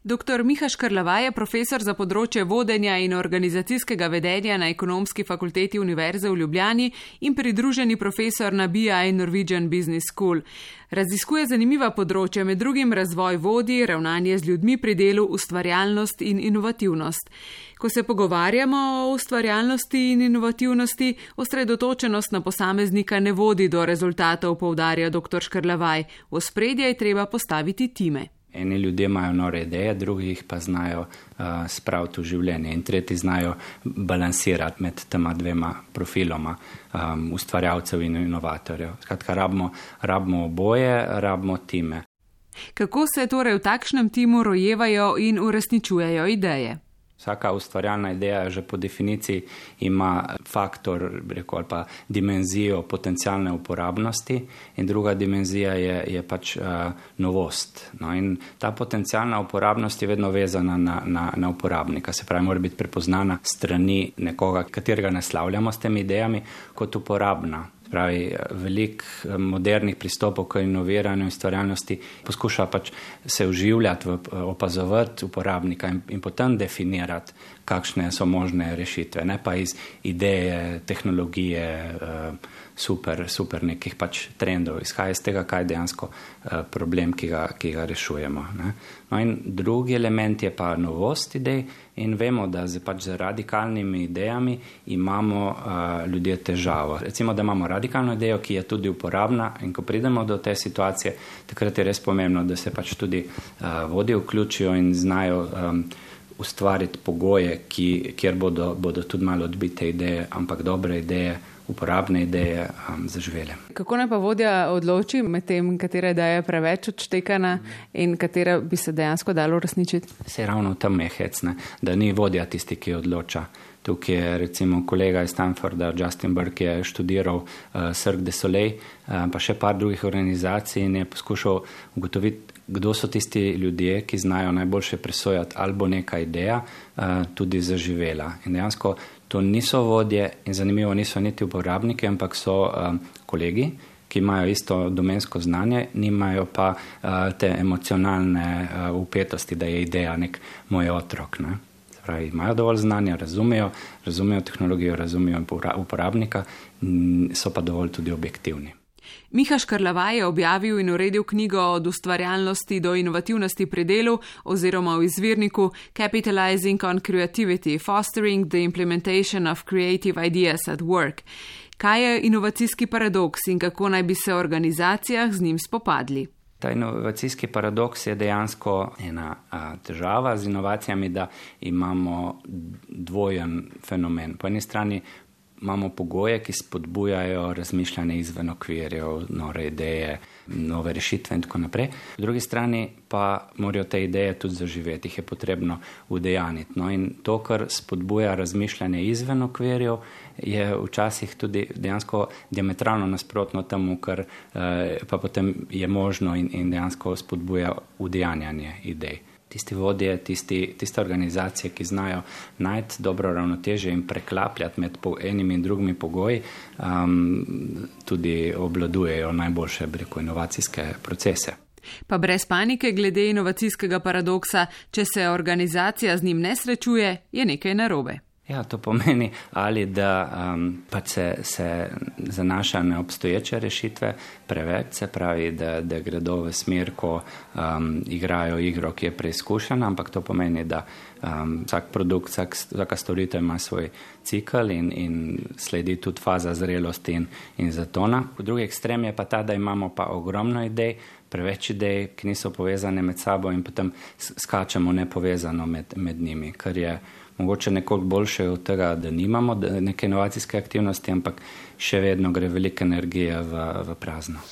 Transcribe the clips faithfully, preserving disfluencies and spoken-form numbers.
Doktor Miha Škrlavaj je profesor za področje vodenja in organizacijskega vedenja na Ekonomski fakulteti Univerze v Ljubljani in pridruženi profesor na B I Norwegian Business School. Raziskuje zanimiva področja, med drugim razvoj vodij, ravnanje z ljudmi pri delu, ustvarjalnost in inovativnost. Ko se pogovarjamo o ustvarjalnosti in inovativnosti, osredotočenost na posameznika ne vodi do rezultatov, poudarja doktor Škrlavaj. V ospredje je treba postaviti time. Eni ljudje imajo nore ideje, drugi jih pa znajo uh, spraviti v življenje in tretji znajo balansirati med tema dvema profiloma um, ustvarjalcev in inovatorjev. Skratka, rabimo, rabimo oboje, rabimo time. Kako se torej v takšnem timu rojevajo in uresničujejo ideje? Vsaka ustvarjalna ideja že po definiciji ima faktor, rekel, ali pa dimenzijo potencialne uporabnosti in druga dimenzija je, je pač uh, novost. No, in ta potencialna uporabnost je vedno vezana na, na, na uporabnika, se pravi, mora biti prepoznana strani nekoga, katerega naslavljamo s temi idejami kot uporabna. Pravi, velik modernih pristopov k inoviranju in ustvarjalnosti poskuša pač se vživljati, v, opazovati uporabnika in, in potem definirati, kakšne so možne rešitve, ne pa iz ideje, tehnologije, super, super nekih pač trendov, izhaja iz tega, kaj je dejansko problem, ki ga, ki ga rešujemo. Ne. No in drugi element je pa novost idej in vemo, da z, pač z radikalnimi idejami imamo uh, ljudje težavo. Recimo, da imamo radikalno idejo, ki je tudi uporabna in ko pridemo do te situacije, takrat je res pomembno, da se pač tudi uh, vodje vključijo in znajo um, ustvariti pogoje, ki, kjer bodo, bodo tudi malo odbite ideje, ampak dobre ideje, uporabne ideje um, zaživele. Kako naj pa vodja odloči med tem, katera ideja je preveč odštekana in katera bi se dejansko dalo uresničiti? Se ravno tam je hecne, da ni vodja tisti, ki odloča. Tukaj je recimo kolega iz Stanforda, Justin Burke, je študiral uh, Cirque du Soleil, uh, pa še par drugih organizacij in je poskušal ugotoviti, kdo so tisti ljudje, ki znajo najboljše presojati, ali bo neka ideja uh, tudi zaživela. In dejansko to niso vodje in zanimivo niso niti uporabniki, ampak so um, kolegi, ki imajo isto domensko znanje, nimajo pa uh, te emocionalne uh, upetosti, da je ideja nek moj otrok. Ne? Pravi, imajo dovolj znanja, razumejo, razumejo tehnologijo, razumejo uporabnika, so pa dovolj tudi objektivni. Miha Škrlavaj je objavil in uredil knjigo Od ustvarjalnosti do inovativnosti pri delu oziroma v izvirniku Capitalizing on Creativity, Fostering the Implementation of Creative Ideas at Work. Kaj je inovacijski paradoks in kako naj bi se v organizacijah z njim spopadli? Ta inovacijski paradoks je dejansko ena a, težava z inovacijami, da imamo dvojen fenomen. Po eni strani imamo pogoje, ki spodbujajo razmišljanje izven okvirjev, nove ideje, nove rešitve in tako naprej. Po drugi strani pa morajo te ideje tudi zaživeti, jih je potrebno udejaniti. No in to, kar spodbuja razmišljanje izven okvirjev, je včasih tudi dejansko diametralno nasprotno temu, kar eh, pa potem je možno in, in dejansko spodbuja udejanjanje idej. Tisti vodje, tisti, tiste organizacije, ki znajo najti dobro ravnotežje in preklapljati med enimi in drugimi pogoji, um, tudi obvladujejo najboljše breko inovacijske procese. Pa brez panike glede inovacijskega paradoksa, če se organizacija z njim ne srečuje, je nekaj narobe. Ja, to pomeni ali da um, pa se, se zanaša na obstoječe rešitve preveč, se pravi, da, da gredo v smer, ko um, igrajo igro, ki je preizkušena, ampak to pomeni, da um, vsak produkt, vsak, vsaka storitev ima svoj cikl in, in sledi tudi faza zrelosti in, in zatona. V drugi ekstrem je pa ta, da imamo pa ogromno idej, preveč idej, ki niso povezane med sabo in potem skačemo nepovezano med, med njimi, kar je mogoče nekoliko boljše od tega, da nimamo neke inovacijske aktivnosti, ampak še vedno gre velika energija v, v prazno.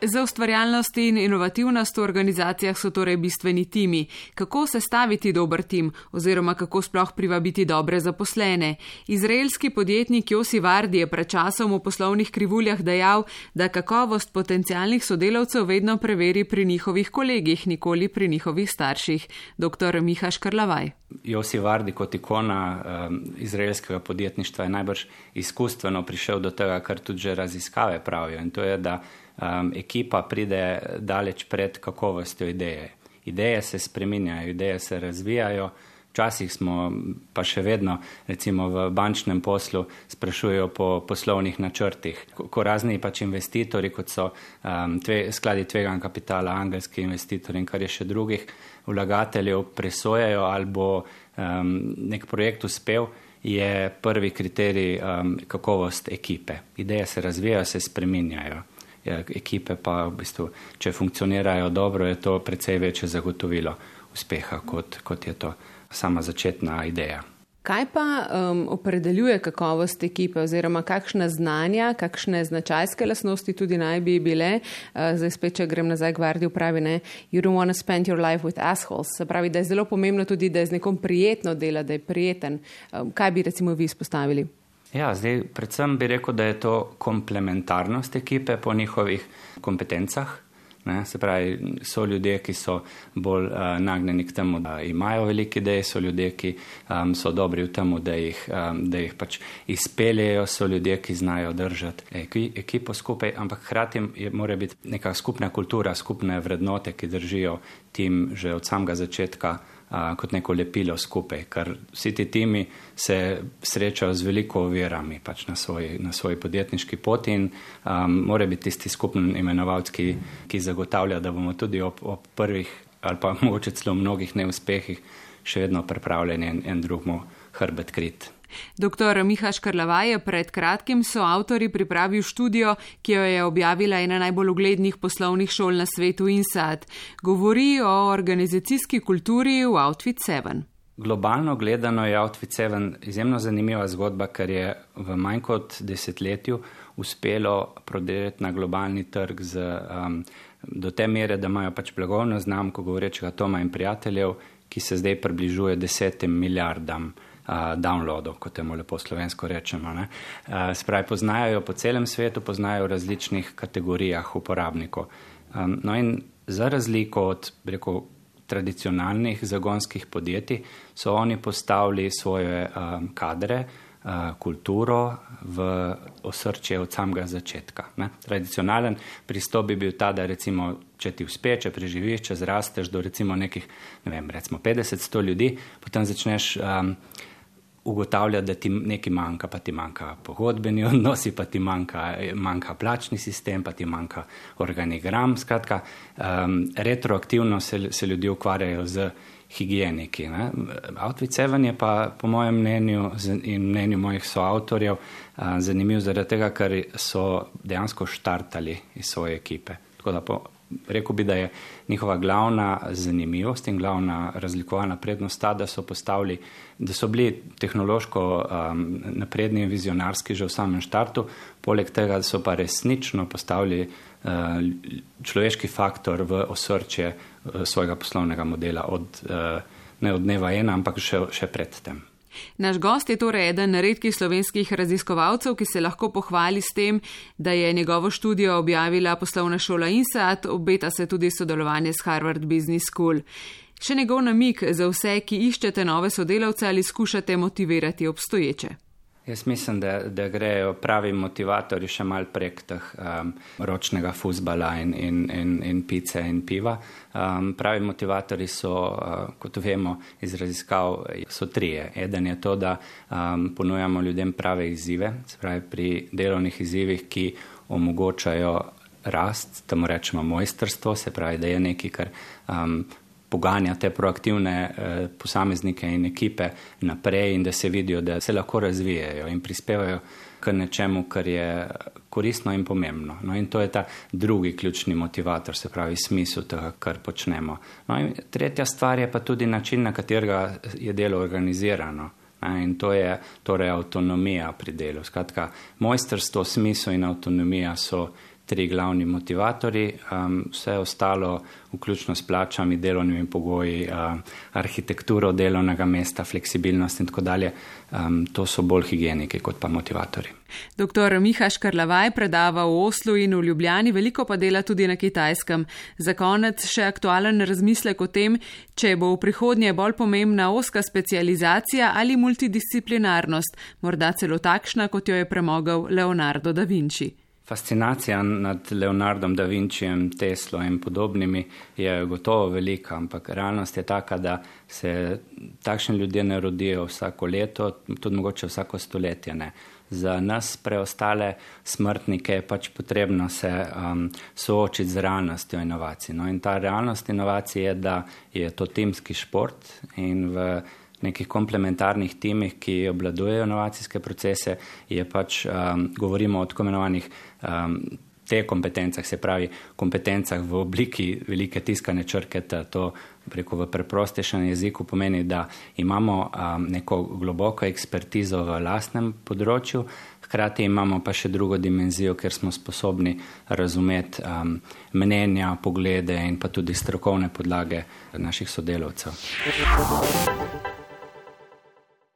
Za ustvarjalnost in inovativnost v organizacijah so torej bistveni timi. Kako sestaviti dober tim oziroma kako sploh privabiti dobre zaposlene? Izraelski podjetnik Yossi Vardi je pred časom v poslovnih krivuljah dejal, da kakovost potencialnih sodelavcev vedno preveri pri njihovih kolegih, nikoli pri njihovih starših. Doktor Miha Škrlavaj. Yossi Vardi kot ikona um, izraelskega podjetništva je najbrž izkustveno prišel do tega, kar tudi že raziskave pravijo, in to je, da Um, ekipa pride daleč pred kakovostjo ideje. ideje se spreminjajo, ideje se razvijajo. Včasih smo pa še vedno, recimo v bančnem poslu, sprašujejo po poslovnih načrtih. Ko, ko razni pač investitorji, kot so um, tve, skladi tvegan kapitala, angelski investitorji in kar je še drugih vlagateljev, presojajo ali bo um, nek projekt uspel, je prvi kriterij um, kakovost ekipe. Ideje se razvijajo, se spreminjajo. Ja, ekipe pa v bistvu, če funkcionirajo dobro, je to precej večje zagotovilo uspeha, kot, kot je to sama začetna ideja. Kaj pa um, opredeljuje kakovost ekipe oziroma kakšna znanja, kakšne značajske lastnosti tudi naj bi bile? Uh, zdaj spet, če grem nazaj k Vardi, pravi, ne, you don't want to spend your life with assholes. Se pravi, da je zelo pomembno tudi, da je z nekom prijetno dela, da je prijeten. Um, kaj bi recimo vi izpostavili? Ja, zdaj predvsem bi rekel, da je to komplementarnost ekipe po njihovih kompetencah. Ne, se pravi, so ljudje, ki so bolj uh, nagnjeni k temu, da imajo velike ideje, so ljudje, ki um, so dobri v temu, da jih, um, da jih pač izpeljejo, so ljudje, ki znajo držati eki, ekipo skupaj, ampak hkrati je, mora biti neka skupna kultura, skupne vrednote, ki držijo tim že od samega začetka uh, kot neko lepilo skupaj, ker vsi ti timi se srečajo z veliko ovirami pač na svoji, na svoji podjetniški poti in um, mora biti tisti skupni imenovalec, ki, ki zagotavlja, da bomo tudi ob, ob prvih ali pa mogoče celo mnogih neuspehih še vedno pripravljeni en, en drugmu hrbet krit. Doktor Miha Škrlavaj je pred kratkim soavtori pripravil študijo, ki jo je objavila ena najbolj uglednih poslovnih šol na svetu INSEAD. Govori o organizacijski kulturi v Outfit sedem. Globalno gledano je Outfit sedem izjemno zanimiva zgodba, ker je v manj kot desetletju uspelo prodirati na globalni trg z, um, do te mere, da imajo pač blagovno znamko govorečega Toma in prijateljev, ki se zdaj približuje desetim milijardam Uh, downloadov, kot temu lepo slovensko rečemo. Ne? Uh, spravi, poznajo po celem svetu, poznajo v različnih kategorijah uporabnikov. Um, no in za razliko od, rekel, tradicionalnih zagonskih podjetij, so oni postavili svoje um, kadre, uh, kulturo v osrčje od samega začetka. Ne? Tradicionalen pristop bi bil ta, da recimo, če ti uspe, če preživiš, če zrasteš do recimo nekih, ne vem, recimo petdeset sto ljudi, potem začneš um, ugotavlja, da ti nekaj manjka, pa ti manjka pogodbeni odnosi, pa ti manjka, manjka plačni sistem, pa ti manjka organigram. Skratka, um, retroaktivno se, se ljudje ukvarjajo z higieniki. Ne? Outfit sedem je pa po mojem mnenju in mnenju mojih soavtorjev uh, zanimiv zaradi tega, ker so dejansko štartali iz svoje ekipe. Tako da po rekel bi, da je njihova glavna zanimivost in glavna razlikovalna prednost ta, da so postavili, da so bili tehnološko um, napredni in vizionarski že v samem štartu, poleg tega, da so pa resnično postavili uh, človeški faktor v osrčje uh, svojega poslovnega modela od, uh, ne od dneva ena, ampak še, še pred tem. Naš gost je torej eden redkih slovenskih raziskovalcev, ki se lahko pohvali s tem, da je njegovo študijo objavila poslovna šola INSEAD, obeta se tudi sodelovanje s Harvard Business School. Še njegov namig za vse, ki iščete nove sodelavce ali skušate motivirati obstoječe. Jaz mislim, da, da grejo pravi motivatorji še mal prek teh um, ročnega fuzbala in, in, in, in pice in piva. Um, pravi motivatorji so, uh, kot vemo iz raziskav, so trije. Eden je to, da um, ponujamo ljudem prave izzive, se pravi pri delovnih izzivih, ki omogočajo rast, temu rečemo mojstrstvo, se pravi, da je nekaj, kar um, poganja te proaktivne eh, posameznike in ekipe naprej in da se vidijo, da se lahko razvijajo in prispevajo k nečemu, kar je koristno in pomembno. No in to je ta drugi ključni motivator, se pravi smisel tega, kar počnemo. No in tretja stvar je pa tudi način, na katerega je delo organizirano. In to je torej avtonomija pri delu. Skratka, mojstrstvo, smisel in avtonomija so tri glavni motivatorji, um, vse ostalo, vključno s plačami, delovnimi pogoji, uh, arhitekturo delovnega mesta, fleksibilnost in tako dalje, um, to so bolj higieniki kot pa motivatorji. Doktor Miha Škrlavaj predava v Oslu in v Ljubljani, veliko pa dela tudi na Kitajskem. Za konec še aktualen razmislek o tem, če bo v prihodnje bolj pomembna ozka specializacija ali multidisciplinarnost, morda celo takšna, kot jo je premogel Leonardo da Vinci. Fascinacija nad Leonardom da Vincijem, Teslo in podobnimi je gotovo velika, ampak realnost je taka, da se takšni ljudje ne rodijo vsako leto, tudi mogoče vsako stoletje ne. Za nas preostale smrtnike je pač potrebno se um, soočiti z realnostjo inovacij. No, in ta realnost inovacij je, da je to timski šport in v nekih komplementarnih timih, ki obvladujejo inovacijske procese, je pač, um, govorimo o tako imenovanih um, te kompetencah, se pravi kompetencah v obliki velike tiskane črke, to preko v preprostejšem jeziku pomeni, da imamo um, neko globoko ekspertizo v lastnem področju, hkrati imamo pa še drugo dimenzijo, ker smo sposobni razumeti um, mnenja, poglede in pa tudi strokovne podlage naših sodelavcev.